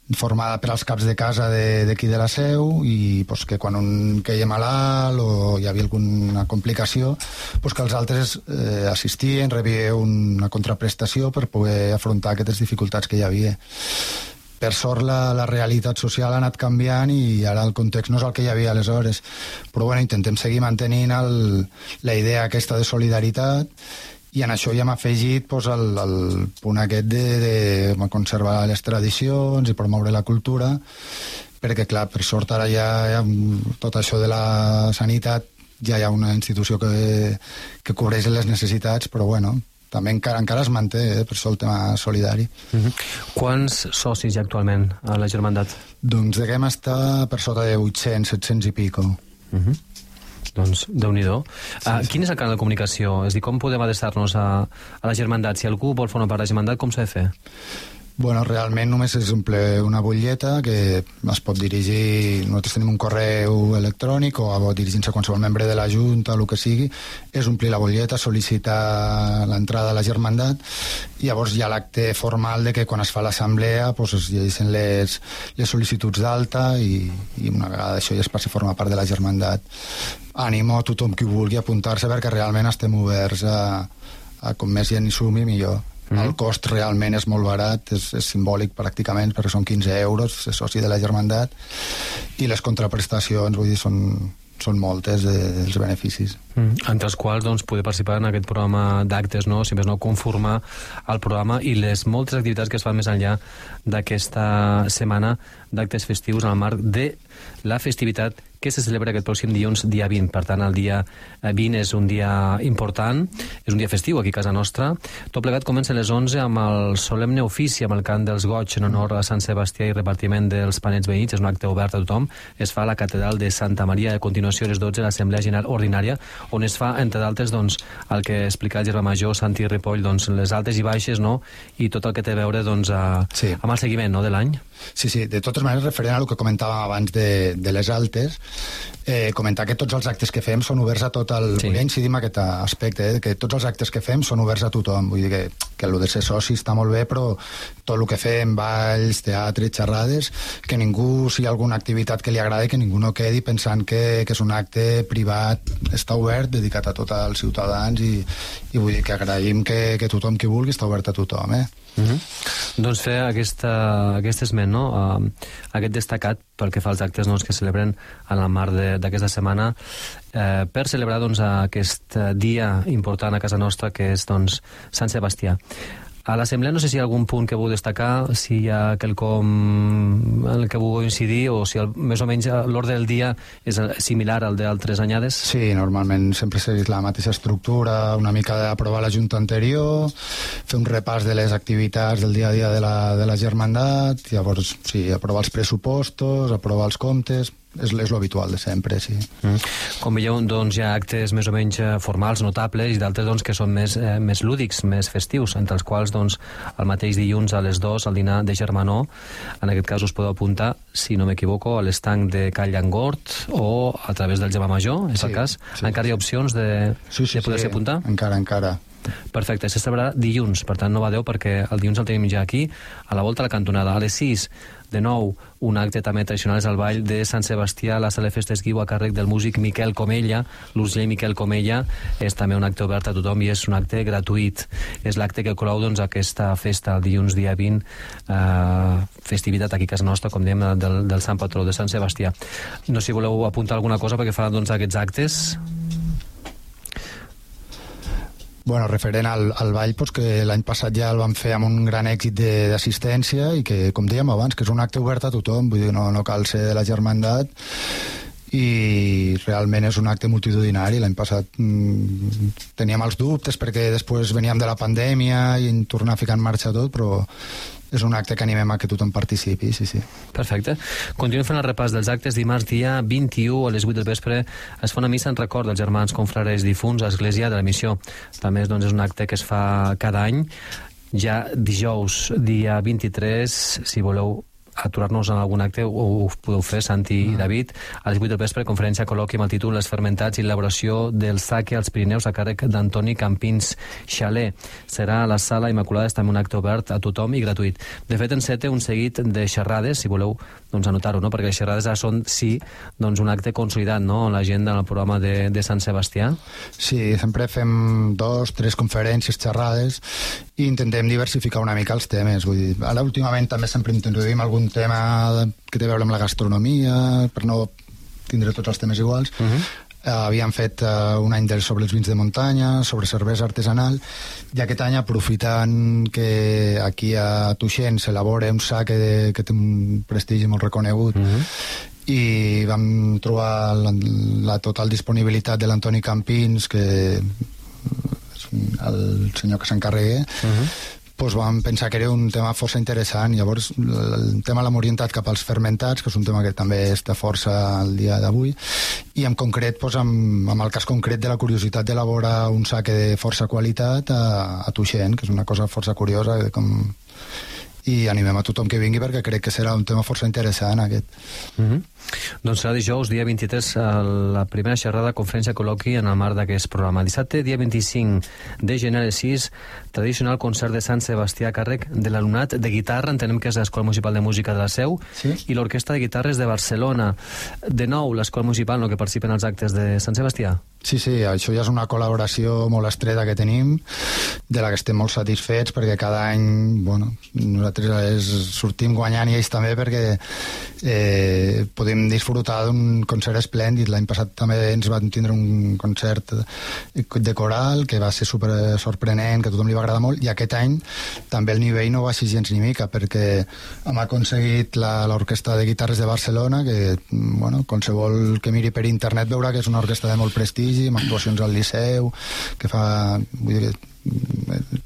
formada per als caps de casa d'aquí de la Seu, i pues, que quan un queia malalt o hi havia alguna complicació, pues, que els altres assistien, rebien una contraprestació per poder afrontar aquestes dificultats que hi havia. Per sort la realitat social ha anat canviant i ara el context no és el que hi havia aleshores, però bueno, intentem seguir mantenint la idea aquesta de solidaritat, i en això ja hem afegit pues, el punt aquest de conservar les tradicions i promoure la cultura, perquè clar, per sort ara ja tot això de la sanitat ja hi ha una institució que cobreix les necessitats, però bueno, també encara es manté, per això el tema solidari. Quants socis hi ha actualment a la Germandat? Doncs devem estar per sota de 800, 700 i pico. Doncs, Déu-n'hi-do. Quin és el canal de comunicació? És a dir, com podem adreçar-nos a la Germandat? Si algú vol formar part de la Germandat, com s'ha de fer? Bueno, realment només és omplir una butlleta que es pot dirigir, nosaltres tenim un correu electrònic o dirigint-se a qualsevol membre de la Junta, el que sigui, és omplir la butlleta, sol·licitar l'entrada a la Germandat, i llavors hi ha l'acte formal de que quan es fa l'assemblea pues, es llegeixen les sol·licituds d'alta i una vegada això ja es passa a formar part de la Germandat. Animo a tothom qui vulgui apuntar-se perquè realment estem oberts a com més gent hi sumi millor. El cost realment és molt barat, és simbòlic pràcticament, perquè són 15 euros ser soci de la Germandat, i les contraprestacions, vull dir, són moltes dels beneficis. Entre els quals doncs, poder participar en aquest programa d'actes, no? Si més no, conformar el programa i les moltes activitats que es fan més enllà d'aquesta setmana d'actes festius en el marc de la festivitat que se celebra aquest pròxim dilluns, dia 20. Per tant, el dia 20 és un dia important, és un dia festiu aquí a casa nostra. Tot plegat comença a les 11 amb el solemne ofici, amb el cant dels goig en honor a Sant Sebastià i repartiment dels panets veïns. És un acte obert a tothom. Es fa a la catedral de Santa Maria. A continuació, a les 12, l'Assemblea General Ordinària, on es fa, entre d'altres, doncs, el que explica el germà major, Santi Ripoll, doncs, les altes i baixes, no?, i tot el que té a veure doncs, amb el seguiment, no?, de l'any. Sí, de totes maneres, referent a el que comentàvem abans de les altes, comentar que tots els actes que fem són oberts a tot el... Sí. Vull incidir en aquest aspecte, que tots els actes que fem són oberts a tothom. Vull dir que el de ser soci està molt bé, però tot el que fem, balls, teatre, xerrades, que ningú, si hi ha alguna activitat que li agradi, que ningú no quedi pensant que és un acte privat. Està obert, dedicat a tots els ciutadans, i vull dir que agraïm que tothom qui vulgui està obert a tothom, Doncs fer aquest esment, no? Aquest destacat pel que fa als actes que celebren en el marc d'aquesta setmana per celebrar aquest dia important a casa nostra que és Sant Sebastià. A l'Assemblea no sé si hi ha algun punt que vull destacar, si hi ha quelcom en el que vull incidir, o si més o menys l'ordre del dia és similar al d'altres anyades. Sí, normalment sempre segueix la mateixa estructura, una mica d'aprovar la Junta anterior, fer un repàs de les activitats del dia a dia de la Germandat, llavors sí, aprovar els pressupostos, aprovar els comptes... És l'habitual de sempre, sí. Com veieu, doncs hi ha actes més o menys formals, notables, i d'altres que són més lúdics, més festius, entre els quals el mateix dilluns a les 2 al dinar de Germanó. En aquest cas us podeu apuntar, si no m'equivoco, a l'estanc de Call Llangort o a través del Germà Major, és el cas? Encara hi ha opcions de poder-se apuntar? Encara. Perfecte, se celebrarà dilluns, per tant no badeu perquè el dilluns el tenim ja aquí, a la volta a la cantonada. A les 6, de nou, un acte també tradicional és el ball de Sant Sebastià a la sala de festes Guiu a càrrec del músic Miquel Comella. L'Urgell Miquel Comella és també un acte obert a tothom i és un acte gratuït. És l'acte que clou aquesta festa el dilluns dia 20, festivitat aquí a casa nostra, com dèiem, del Sant Patró de Sant Sebastià. No sé si voleu apuntar alguna cosa perquè faran aquests actes. Bueno, referent al ball, doncs que l'any passat ja el vam fer amb un gran èxit d'assistència i que, com dèiem abans, que és un acte obert a tothom, vull dir, no cal ser de la Germandat, i realment és un acte multitudinari. L'any passat teníem els dubtes perquè després veníem de la pandèmia i en tornar a ficar en marxa tot, però és un acte que animem a que tothom participi, sí. Perfecte. Continuem fent el repàs dels actes. Dimarts, dia 21, a les 8 del vespre, es fa una missa en record dels germans confrares difunts a Església de la Missió. També és un acte que es fa cada any. Ja dijous, dia 23, si voleu aturar-nos en algun acte ho podeu fer, Santi i David, a les 8 del vespre, conferència col·loqui amb el títol Les fermentats i l'elaboració del sake als Pirineus a càrrec d'Antoni Campins Xaler. Serà a la Sala Immaculada, és també un acte obert a tothom i gratuït. De fet, enceta un seguit de xerrades, si voleu anotar-ho, no? Perquè les xerrades són, sí, un acte consolidat, no?, en l'agenda, en el programa de Sant Sebastià. Sí, sempre fem 2, 3 conferències, xerrades, i intentem diversificar una mica els temes. Vull dir, ara últimament també sempre introduïm algun tema que té a veure amb la gastronomia, per no tindre tots els temes iguals. Havíem fet un any sobre els vins de muntanya, sobre cervesa artesanal, i aquest any, aprofitant que aquí a Tuixén s'elabora un sake que té un prestigi molt reconegut, i vam trobar la total disponibilitat de l'Antoni Campins, que és el senyor que s'encarrega, doncs vam pensar que era un tema força interessant. Llavors el tema l'hem orientat cap als fermentats, que és un tema que també està força al dia d'avui, i en concret, amb el cas concret de la curiositat d'elaborar un sake de força qualitat a Tuixén, que és una cosa força curiosa, i animem a tothom que vingui perquè crec que serà un tema força interessant aquest. Doncs serà dijous, dia 23, la primera xerrada, conferència col·loqui en el marc d'aquest programa. Dissabte, dia 25 de gener a les 6, tradicional concert de Sant Sebastià a càrrec de l'alumnat de guitarra, entenem que és l'Escola Municipal de Música de la Seu, sí, i l'Orquestra de Guitarres de Barcelona. De nou, l'Escola Municipal, no?, que participa en els actes de Sant Sebastià. Sí, això ja és una col·laboració molt estreta que tenim, de la que estem molt satisfets, perquè cada any, nosaltres sortim guanyant i ells també, perquè podem disfrutar d'un concert esplèndid. L'any passat també ens van tindre un concert de coral que va ser super sorprenent, que a tothom li va agradar molt, i aquest any també el nivell no va ser gens ni mica, perquè hem aconseguit l'Orquestra de Guitarres de Barcelona, que qualsevol que miri per internet veurà que és una orquestra de molt prestigi, amb actuacions al Liceu, que fa... Vull dir que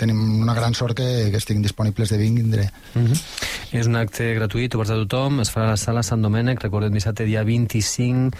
tenim una gran sort que estiguin disponibles de vindre. És un acte gratuït, obert a tothom, es farà a la Sala Sant Domènec, recordem, dissabte dia 25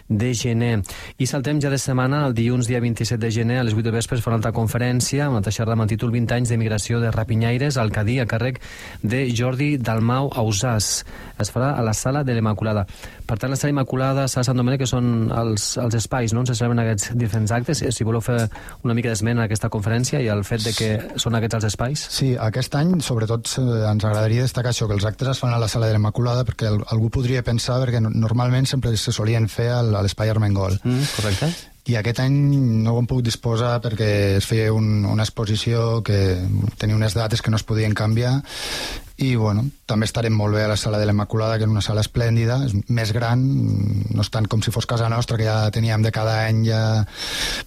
de gener. I saltem ja de setmana, el dilluns dia 27 de gener, a les 8 de vespre es farà una altra conferència, una altra xerrada amb el títol 20 anys d'emigració de rapinyaires al Cadí, a càrrec de Jordi Dalmau Ausàs. Es farà a la Sala de l'Immaculada. Per tant, la Sala Immaculada, Sala Sant Domènec, que són els espais, no?, on se celebren aquests diferents actes. Si voleu fer una mica d'esment a aquesta conferència i el fet de que són aquests els espais? Sí, aquest any, sobretot, ens agradaria destacar això, que els actes es fan a la Sala de l'Immaculada, perquè algú podria pensar, perquè normalment sempre se solien fer a l'Espai Armengol. Correcte. I aquest any no ho hem pogut disposar perquè es feia una exposició que tenia unes dates que no es podien canviar, i també estarem molt bé a la Sala de l'Immaculada, que és una sala esplèndida, és més gran, no és tant com si fos casa nostra, que ja teníem de cada any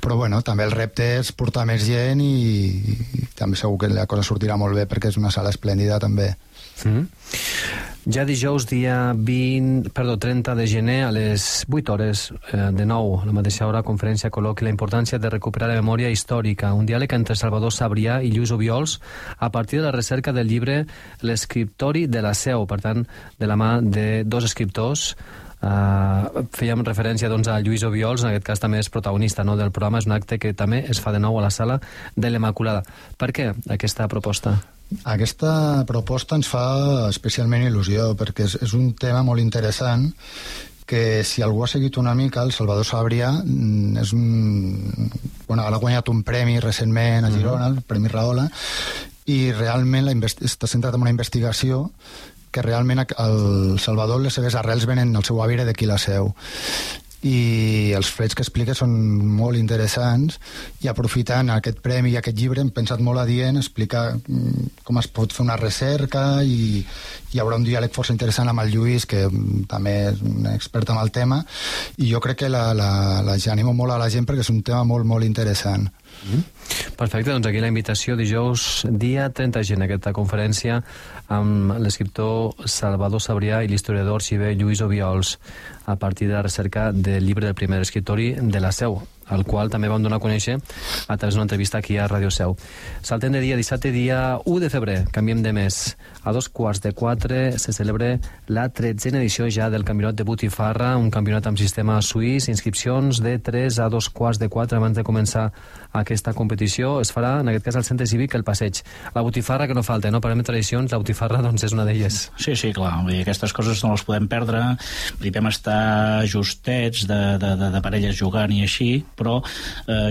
però també el repte és portar més gent, i també segur que la cosa sortirà molt bé perquè és una sala esplèndida també. Ja dijous, dia 30 de gener, a les 8 hores, de nou, a la mateixa hora, conferència col·loqui la importància de recuperar la memòria històrica, un diàleg entre Salvador Sabrià i Lluís Obiols a partir de la recerca del llibre L'escriptori de la Seu, per tant, de la mà de dos escriptors. Fèiem referència a Lluís Obiols, en aquest cas també és protagonista del programa, és un acte que també es fa de nou a la Sala de l'Immaculada. Per què aquesta proposta? Aquesta proposta ens fa especialment il·lusió, perquè és un tema molt interessant, que si algú ha seguit una mica, el Salvador Sabrià ha guanyat un premi recentment a Girona, el Premi Rahola, i realment està centrat en una investigació que realment el Salvador, les seves arrels venen al seu avi d'aquí la Seu, i els fets que explica són molt interessants, i aprofitant aquest premi i aquest llibre hem pensat molt adient explicar com es pot fer una recerca, i hi haurà un diàleg força interessant amb el Lluís, que també és un expert en el tema, i jo crec que animo molt a la gent perquè és un tema molt, molt interessant. Perfecte, doncs aquí la invitació dijous dia 30 de gener, aquesta conferència amb l'escriptor Salvador Sabrià i l'historiador arxiver Lluís Obiols a partir de la recerca del llibre del primer escriptori de la Seu. el qual també vam donar a conèixer a través d'una entrevista aquí a Ràdio Seu. Saltem de dia, dissabte, dia 1 de febrer, canviem de mes. A 3:15 se celebra la 13a edició ja del Campionat de Botifarra, un campionat amb sistema suís, inscripcions de 3 a 2:15 abans de començar aquesta competició. Es farà, en aquest cas, al Centre Cívic El Passeig. La botifarra que no falta, no? Parlem de tradicions, la botifarra doncs, és una d'elles. Sí, clar, vull dir, aquestes coses no les podem perdre. Vam estar justets de parelles jugant i així, però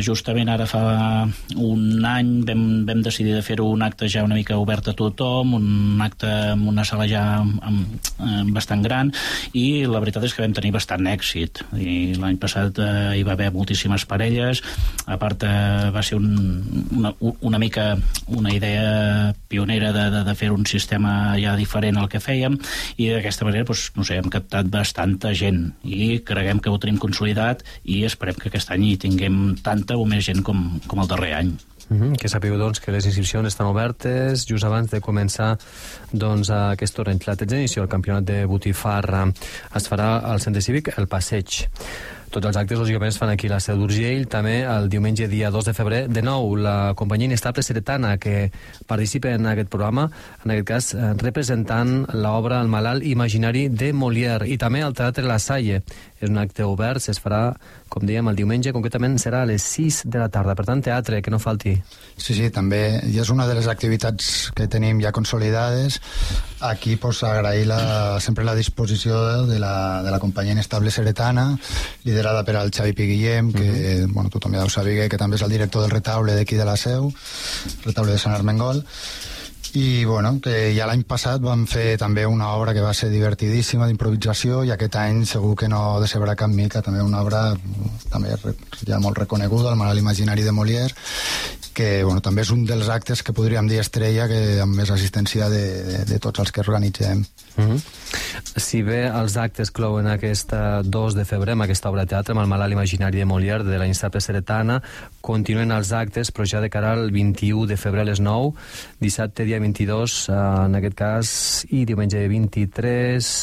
justament ara fa un any vam decidir de fer-ho un acte ja una mica obert a tothom, un acte amb una sala ja bastant gran, i la veritat és que vam tenir bastant èxit. I l'any passat hi va haver moltíssimes parelles. A part, va ser una mica una idea pionera de fer un sistema ja diferent al que fèiem, i d'aquesta manera, doncs, no sé, hem captat bastanta gent i creguem que ho tenim consolidat i esperem que aquest any hi tinguem tanta o més gent com el darrer any. Que sapigueu, doncs, que les inscripcions estan obertes just abans de començar doncs, aquest torneig. La 13a edició del Campionat de Botifarra es farà al Centre Cívic El Passeig. Tots els actes, lògicament, es fan aquí a la Seu d'Urgell. També el diumenge, dia 2 de febrer, de nou, la companyia Inestable Seretana, que participa en aquest programa, en aquest cas representant l'obra El malalt imaginari de Molière, i també al Teatre La Salle. És un acte obert, es farà, com dèiem, el diumenge, concretament serà a les 6 de la tarda. Per tant, teatre, que no falti. Sí, també, i és una de les activitats que tenim ja consolidades. Aquí, pues, agrair sempre la disposició de la companyia Inestable Seretana, liderada per al Xavi Piguillem, que bueno, tothom ja ho sabia, que també és el director del retaule d'aquí de la Seu, retaule de Sant Armengol. I bueno, que ja l'any passat vam fer també una obra que va ser divertidíssima d'improvisació, i aquest any segur que no decebrà cap mica, també una obra també ja molt reconeguda, El malalt imaginari de Molière, que bueno, també és un dels actes que podríem dir estrella, que amb més assistència de tots els que organitzem. Si bé els actes clouen aquest 2 de febrer amb aquesta obra de teatre, amb El malalt imaginari de Molière, de la Inestable Seretana, continuen els actes, però ja de cara al 21 de febrer a les 9, dissabte dia 22, en aquest cas, i diumenge 23,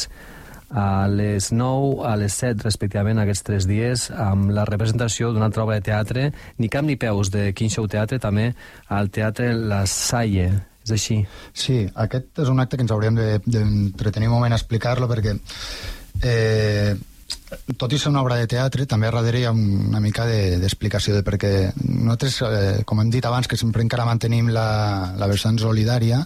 a les 9, a les 7, respectivament, aquests 3 dies, amb la representació d'una altra obra de teatre, Ni cap ni peus, de Quin Show Teatre, també al Teatre La Salle. És així? Sí, aquest és un acte que ens hauríem d'entretenir un moment a explicar-lo, perquè tot i ser una obra de teatre, també a darrere hi ha una mica d'explicació de perquè nosaltres, com hem dit abans, que sempre encara mantenim la vessant solidària,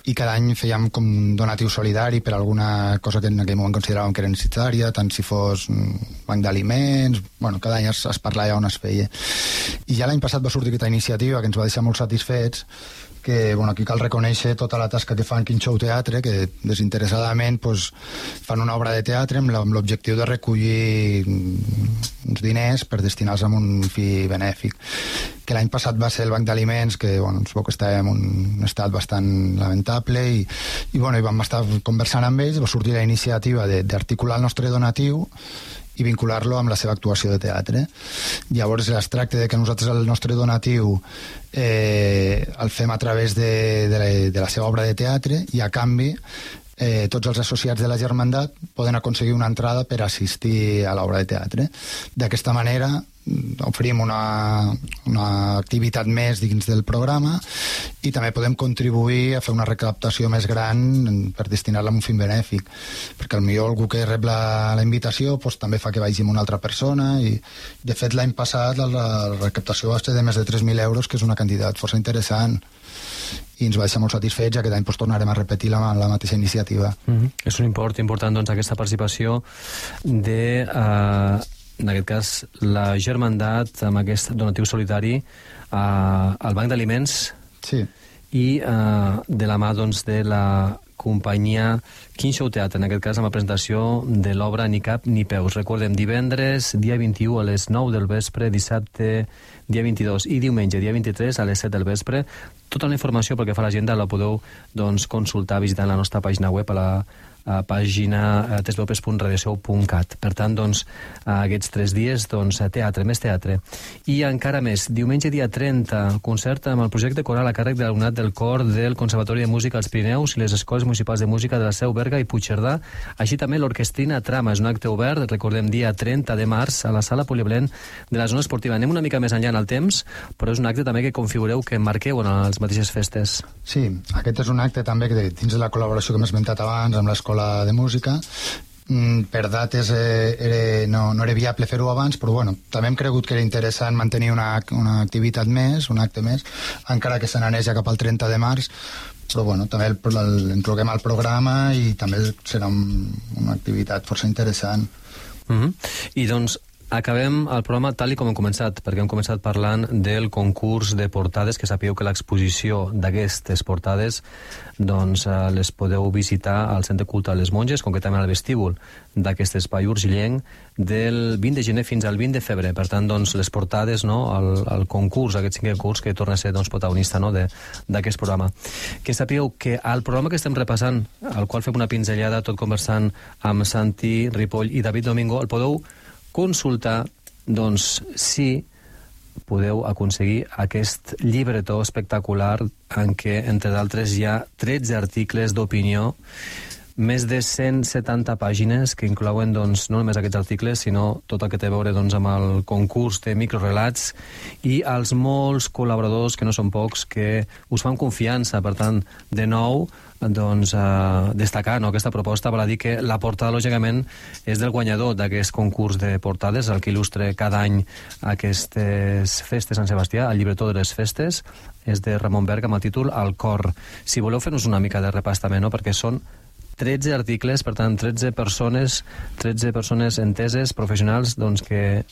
i cada any fèiem com un donatiu solidari per alguna cosa que en aquell moment consideràvem que era necessària, tant si fos un banc d'aliments, bueno, cada any es parlava on es feia. I ja l'any passat va sortir aquesta iniciativa que ens va deixar molt satisfets, que bueno, aquí cal reconèixer tota la tasca que fan Quin Show Teatre, que desinteressadament pues, fan una obra de teatre amb l'objectiu de recollir uns diners per destinar-los a un fi benèfic. Que l'any passat va ser el banc d'aliments, que bueno, ens veu que estava en un estat bastant lamentable, i vam estar conversant amb ells, va sortir la iniciativa d'articular el nostre donatiu i vincular-lo amb la seva actuació de teatre. Llavors es tracta de que nosaltres el nostre donatiu el fem a través de la seva obra de teatre, i a canvi tots els associats de la Germandat poden aconseguir una entrada per assistir a l'obra de teatre. D'aquesta manera oferim una activitat més dins del programa, i també podem contribuir a fer una recaptació més gran per destinar-la a un fin benèfic, perquè potser algú que rep la invitació pues, també fa que vagi amb una altra persona, i de fet l'any passat la recaptació va ser de més de 3.000 euros, que és una quantitat força interessant, i ens va deixar molt satisfets. Aquest any pues, tornarem a repetir la mateixa iniciativa. És un import important, doncs, aquesta participació de en aquest cas la Germandat amb aquest donatiu solidari al Banc d'Aliments, sí, i de la mà doncs, de la companyia Quin Show Teatre, en aquest cas amb la presentació de l'obra Ni cap ni peus. Recordem, divendres dia 21 a les 9 del vespre, dissabte dia 22 i diumenge dia 23 a les 7 del vespre. Tota la informació pel que fa a l'agenda la podeu doncs, consultar visitant la nostra pàgina web a pàgina tesveupes.radioseu.cat. Per tant, doncs, aquests 3 dies, doncs, teatre, més teatre. I encara més, diumenge dia 30, concert amb el projecte coral a càrrec de l'alumnat del cor del Conservatori de Música als Pirineus i les Escoles Municipals de Música de la Seu, Berga i Puigcerdà, així també l'Orquestrina Trama. És un acte obert, recordem, dia 30 de març a la sala polivalent de la zona esportiva. Anem una mica més enllà en el temps, però és un acte també que configureu, que marqueu en les mateixes festes. Sí, aquest és un acte també que dins de la col·laboració que hem esmentat abans amb l'Escola de Música. Per dates no era viable fer-ho abans, però bueno, també hem cregut que era interessant mantenir una activitat més, un acte més, encara que se n'anés ja cap al 30 de març, però bueno, també incloguem al programa i també serà una activitat força interessant. I doncs acabem el programa tal i com hem començat, perquè hem començat parlant del concurs de portades, que sapigueu que l'exposició d'aquestes portades doncs les podeu visitar al Centre Cultural Les Monges, concretament al vestíbul d'aquest espai urgillenc, del 20 de gener fins al 20 de febrer. Per tant, doncs, les portades, no, el concurs, aquest 5è curs que torna a ser doncs, protagonista, no, d'aquest programa. Que sapigueu que al programa que estem repassant, al qual fem una pinzellada tot conversant amb Santi Ripoll i David Domingo, el podeu consultar, doncs, si podeu aconseguir aquest llibretó espectacular en què, entre d'altres, hi ha 13 articles d'opinió, més de 170 pàgines que inclouen doncs, no només aquests articles, sinó tot el que té a veure doncs, amb el concurs de microrelats i els molts col·laboradors, que no són pocs, que us fan confiança. Per tant, de nou, doncs, destacar, no, aquesta proposta, val a dir que la portada, lògicament, és del guanyador d'aquest concurs de portades, el que il·lustra cada any aquestes festes Sant Sebastià, el llibretó de les festes, és de Ramon Berg amb el títol El cor. Si voleu fer-nos una mica de repàs també, no?, perquè són 13 articles, per tant, 13 persones enteses, professionals, doncs, que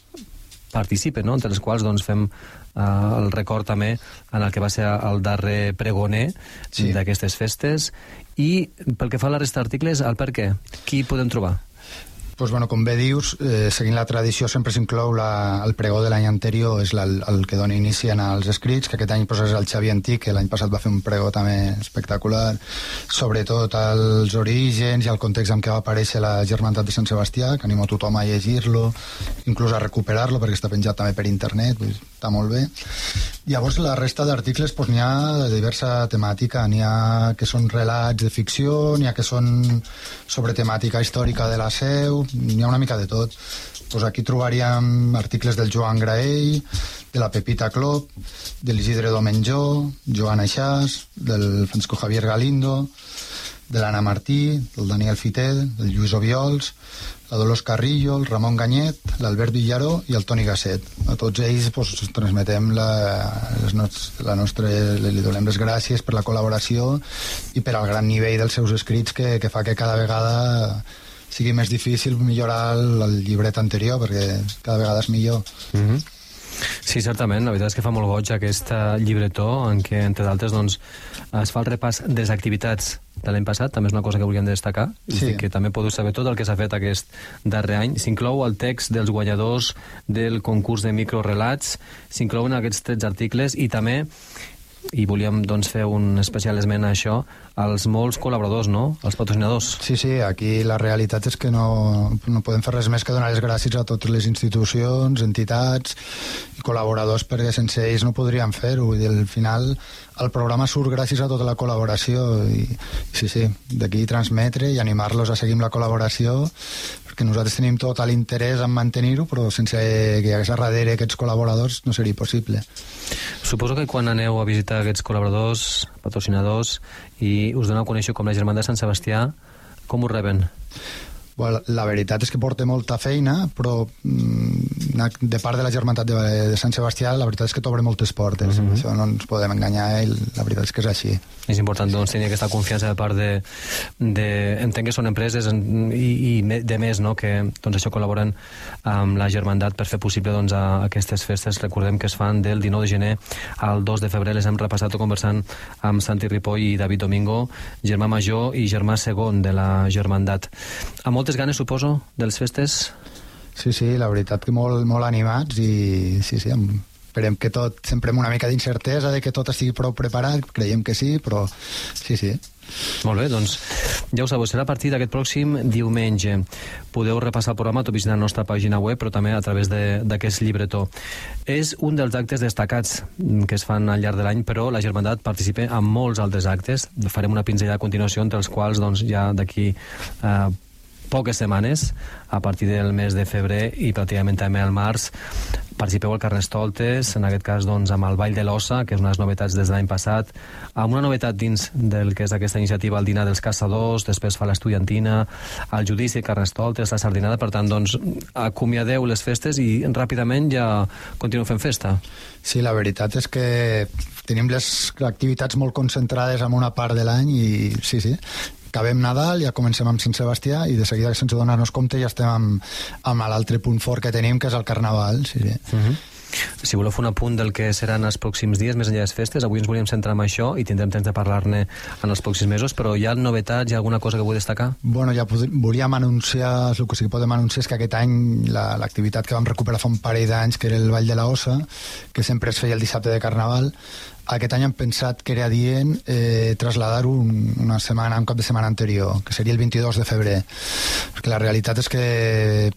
participen, no?, entre les quals doncs, fem el record també en el que va ser el darrer pregoner d'aquestes festes. I pel que fa a la resta d'articles, el per què? Qui podem trobar? Pues bueno, com bé dius, seguint la tradició sempre s'inclou el pregó de l'any anterior, és el que dona inici als escrits, que aquest any és el Xavi Antic, que l'any passat va fer un pregó també espectacular, sobretot els orígens i el context en què va aparèixer la Germandat de Sant Sebastià, que animo a tothom a llegir-lo, inclús a recuperar-lo, perquè està penjat també per internet, està molt bé. Llavors, la resta d'articles n'hi ha de diversa temàtica, n'hi ha que són relats de ficció, n'hi ha que són sobre temàtica històrica de la Seu, n'hi ha una mica de tot. Pues aquí trobaríem articles del Joan Graell, de la Pepita Clop, de l'Isidre Domenjó, Joan Aixàs, del Francisco Javier Galindo, de l'Anna Martí, del Daniel Fitet, del Lluís Obiols, la Dolors Carrillo, el Ramon Ganyet, l'Albert Villaró i el Toni Gasset. A tots ells transmetem li donem les gràcies per la col·laboració i per al gran nivell dels seus escrits que fa que cada vegada sigui més difícil millorar el llibret anterior, perquè cada vegada és millor. Sí, certament, la veritat és que fa molt goig aquest llibretó en què, entre d'altres, doncs, es fa el repàs de les activitats de l'any passat, també és una cosa que volíem destacar, que també podeu saber tot el que s'ha fet aquest darrer any. S'inclou el text dels guanyadors del concurs de microrelats, s'inclouen aquests 13 articles i també, i volíem doncs, fer un especial esment a això, als molts col·laboradors, no?, els patrocinadors. Sí, aquí la realitat és que no podem fer res més que donar les gràcies a totes les institucions, entitats i col·laboradors, perquè sense ells no podríem fer-ho. Vull dir, al final el programa surt gràcies a tota la col·laboració i d'aquí transmetre i animar-los a seguir amb la col·laboració, perquè nosaltres tenim tot l'interès en mantenir-ho, però sense que hi hagués a darrere aquests col·laboradors no seria possible. Suposo que quan aneu a visitar aquests col·laboradors, patrocinadors, i us doneu a conèixer com la Germandat de Sant Sebastià, com ho reben? Bueno, la veritat és que porta molta feina, però de part de la Germandat de Sant Sebastià, la veritat és que t'obre moltes portes. Això no ens podem enganyar i la veritat és que és així. És important doncs, tenir aquesta confiança de part entenc que són empreses i de més, no?, que doncs, això col·laboren amb la Germandat per fer possible doncs, aquestes festes. Recordem que es fan del 19 de gener al 2 de febrer. Les hem repassat conversant amb Santi Ripoll i David Domingo, germà major i germà segon de la Germandat. Amb moltes ganes, suposo, de les festes? Sí, la veritat que molt animats i amb esperem que tot, sempre amb una mica d'incertesa de que tot estigui prou preparat, creiem que sí, però sí. Molt bé, doncs ja ho sabeu, serà a partir d'aquest pròxim diumenge. Podeu repassar el programa tot visitant la nostra pàgina web, però també a través d'aquest llibretó. És un dels actes destacats que es fan al llarg de l'any, però la Germandat participa en molts altres actes. Farem una pinzellada a continuació, entre els quals doncs, ja d'aquí poques setmanes, a partir del mes de febrer i pràcticament també al març, participeu al Carnestoltes, en aquest cas doncs, amb el Ball de l'Ossa, que és una de les novetats des de l'any passat, amb una novetat dins del que és aquesta iniciativa, el dinar dels caçadors, després fa l'estudiantina, el judici, Carnestoltes, la sardinada, per tant, doncs, acomiadeu les festes i ràpidament ja continueu fent festa. Sí, la veritat és que tenim les activitats molt concentrades en una part de l'any i sí, acabem Nadal, ja comencem amb Sant Sebastià i de seguida, sense donar-nos compte, ja estem amb l'altre punt fort que tenim, que és el Carnaval. Sí. Si voleu fer un apunt del que seran els pròxims dies, més enllà de les festes, avui ens volíem centrar en això i tindrem temps de parlar-ne en els pròxims mesos, però hi ha novetats, hi ha alguna cosa que vull destacar? Bueno, ja volíem anunciar, el que sí que podem anunciar és que aquest any l'activitat que vam recuperar fa un parell d'anys, que era el Ball de l'Ossa, que sempre es feia el dissabte de Carnaval, aquest any hem pensat que era adient traslladar-ho un cap de setmana anterior, que seria el 22 de febrer, perquè la realitat és que